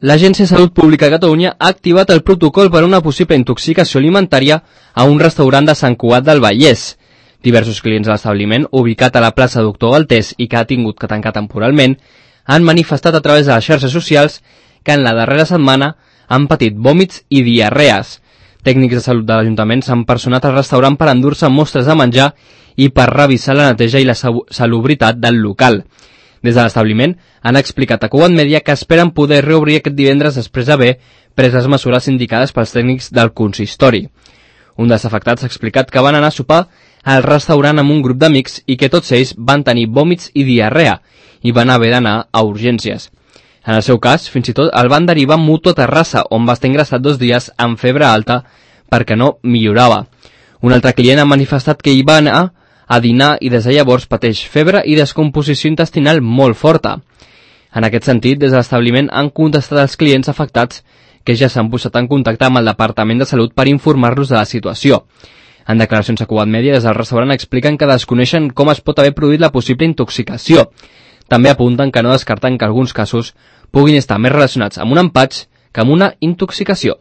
L'Agència de Salut Pública de Catalunya ha activat el protocol per a una possible intoxicació alimentària a un restaurant de Sant Cugat del Vallès. Diversos clients de l'establiment, ubicat a la plaça Doctor Galtés i que ha tingut que tancar temporalment, han manifestat a través de les xarxes socials que en la darrera setmana han patit vòmits i diarrees. Tècnics de salut de l'Ajuntament s'han personat al restaurant per endur-se mostres de menjar i per revisar la neteja i la salubritat del local. Des de l'establiment han explicat a Cugat Mèdia que esperen poder reobrir aquest divendres després d'haver pres les mesures indicades pels tècnics del consistori. Un dels afectats ha explicat que van anar a sopar al restaurant amb un grup d'amics i que tots ells van tenir vòmits i diarrea i van haver d'anar a urgències. En el seu cas, fins i tot el van derivar a Mutua Terrassa, on va estar ingressat 2 dies amb febre alta perquè no millorava. Un altre client ha manifestat que hi va anar a dinar i des de llavors pateix febre i descomposició intestinal molt forta. En aquest sentit, des de l'establiment han contestat als clients afectats que ja s'han posat en contacte amb el Departament de Salut per informar-los de la situació. En declaracions a Cugat Mèdia, des del restaurant expliquen que desconeixen com es pot haver produït la possible intoxicació. També apunten que no descarten que alguns casos puguin estar més relacionats amb un empatx que amb una intoxicació.